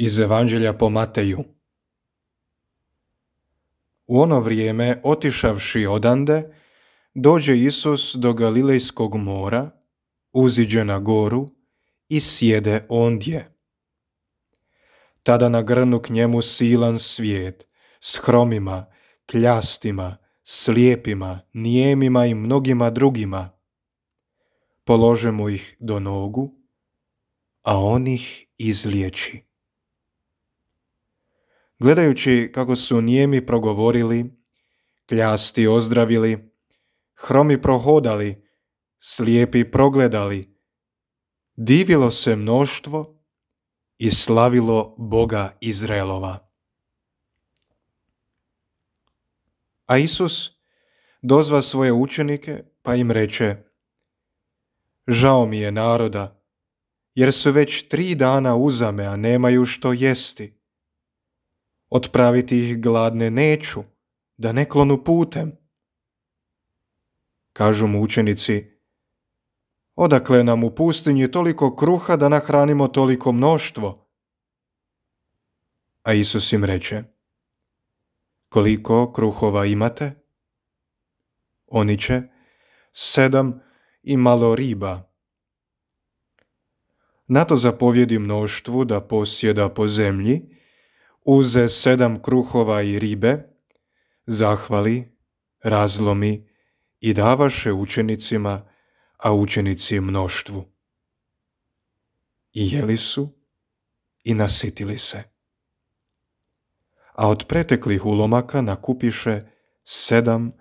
Iz Evanđelja po Mateju. U ono vrijeme, otišavši odande, dođe Isus do Galilejskog mora, uziđe na goru i sjede ondje. Tada nagrnu k njemu silan svijet, s hromima, kljastima, slijepima, nijemima i mnogima drugima. Polože mu ih do nogu, a on ih izliječi. Gledajući kako su nijemi progovorili, kljasti ozdravili, hromi prohodali, slijepi progledali, divilo se mnoštvo i slavilo Boga Izraelova. A Isus dozva svoje učenike pa im reče: žao mi je naroda, jer su već 3 dana uzame, a nemaju što jesti. Otpraviti ih gladne neću, da ne klonu putem. Kažu mu učenici: odakle nam u pustinji toliko kruha da nahranimo toliko mnoštvo? A Isus im reče: koliko kruhova imate? Oni će: 7 i malo riba. Na to zapovjedi mnoštvu da posjeda po zemlji, uze 7 kruhova i ribe, zahvali, razlomi i davaše učenicima, a učenici mnoštvu. I jeli su i nasitili se. A od preteklih ulomaka nakupiše 7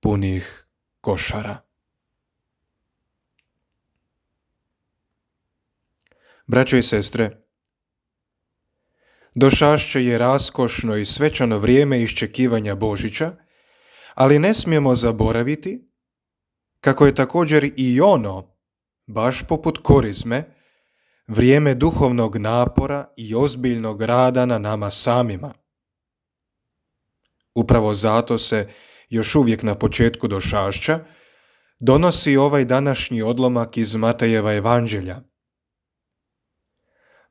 punih košara. Braćo i sestre, došašće je raskošno i svečano vrijeme iščekivanja Božića, ali ne smijemo zaboraviti kako je također i ono, baš poput korizme, vrijeme duhovnog napora i ozbiljnog rada na nama samima. Upravo zato se još uvijek na početku došašća donosi ovaj današnji odlomak iz Matejeva Evanđelja.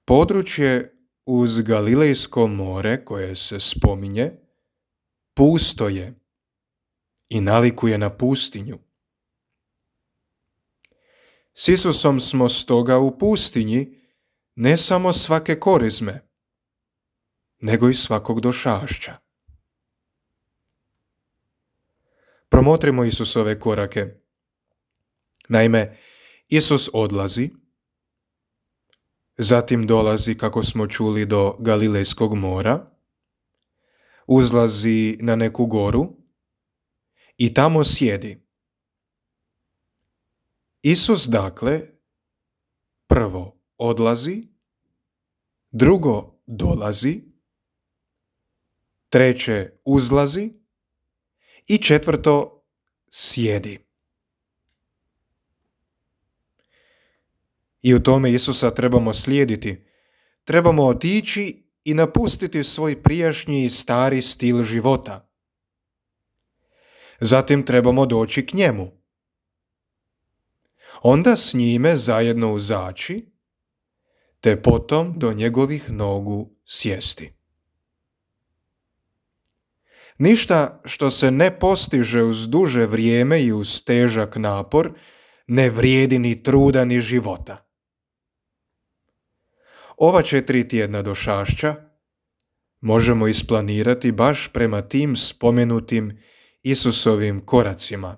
Područje uz Galilejsko more koje se spominje pusto je i nalikuje na pustinju. S Isusom smo stoga u pustinji ne samo svake korizme, nego i svakog došašća. Promotrimo Isusove korake. Naime, Isus odlazi, zatim dolazi, kako smo čuli, do Galilejskog mora, uzlazi na neku goru i tamo sjedi. Isus, dakle, prvo odlazi, drugo dolazi, treće uzlazi i četvrto sjedi. I u tome Isusa trebamo slijediti. Trebamo otići i napustiti svoj prijašnji i stari stil života. Zatim trebamo doći k njemu. Onda s njime zajedno uzaći, te potom do njegovih nogu sjesti. Ništa što se ne postiže uz duže vrijeme i uz težak napor ne vrijedi ni truda ni života. Ova 4 tjedna došašća možemo isplanirati baš prema tim spomenutim Isusovim koracima.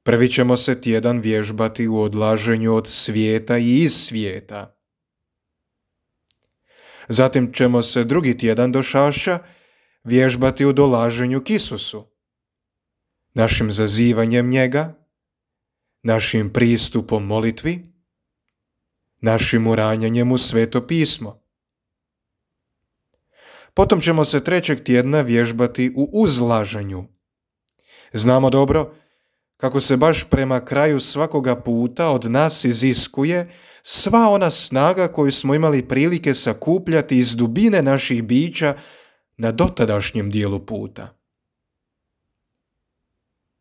Prvi ćemo se tjedan vježbati u odlaženju od svijeta i iz svijeta. Zatim ćemo se drugi tjedan došašća vježbati u dolaženju k Isusu, našim zazivanjem njega, našim pristupom molitvi, našim uranjanjem u Sveto pismo. Potom ćemo se 3. tjedna vježbati u uzlaženju. Znamo dobro kako se baš prema kraju svakoga puta od nas iziskuje sva ona snaga koju smo imali prilike sakupljati iz dubine naših bića na dotadašnjem dijelu puta.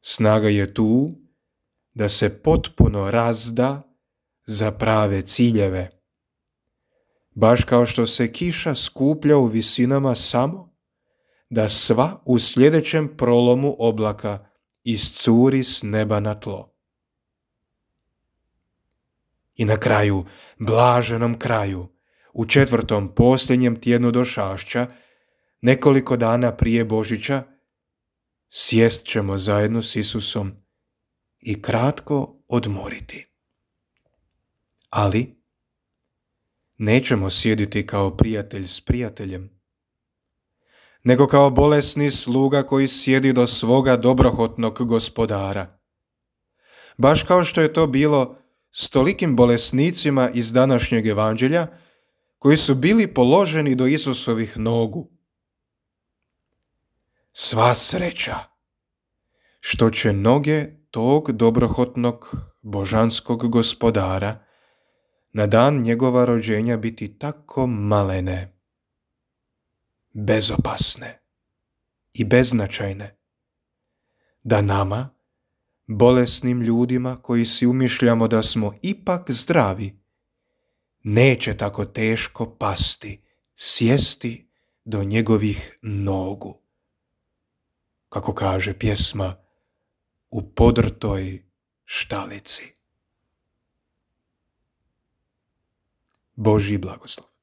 Snaga je tu da se potpuno razda za prave ciljeve. baš kao što se kiša skuplja u visinama samo da sva u sljedećem prolomu oblaka iscuri s neba na tlo. I na kraju, blaženom kraju, u 4. posljednjem tjednu došašća, nekoliko dana prije Božića, sjest ćemo zajedno s Isusom i kratko odmoriti. Ali nećemo sjediti kao prijatelj s prijateljem, nego kao bolesni sluga koji sjedi do svoga dobrohotnog gospodara. Baš kao što je to bilo s tolikim bolesnicima iz današnjeg evanđelja koji su bili položeni do Isusovih nogu. Sva sreća što će noge tog dobrohotnog božanskog gospodara na dan njegova rođenja biti tako malene, bezopasne i beznačajne, da nama, bolesnim ljudima koji si umišljamo da smo ipak zdravi, neće tako teško pasti, sjesti do njegovih nogu. Kako kaže pjesma, u podrtoj štalici. Božji blagoslov.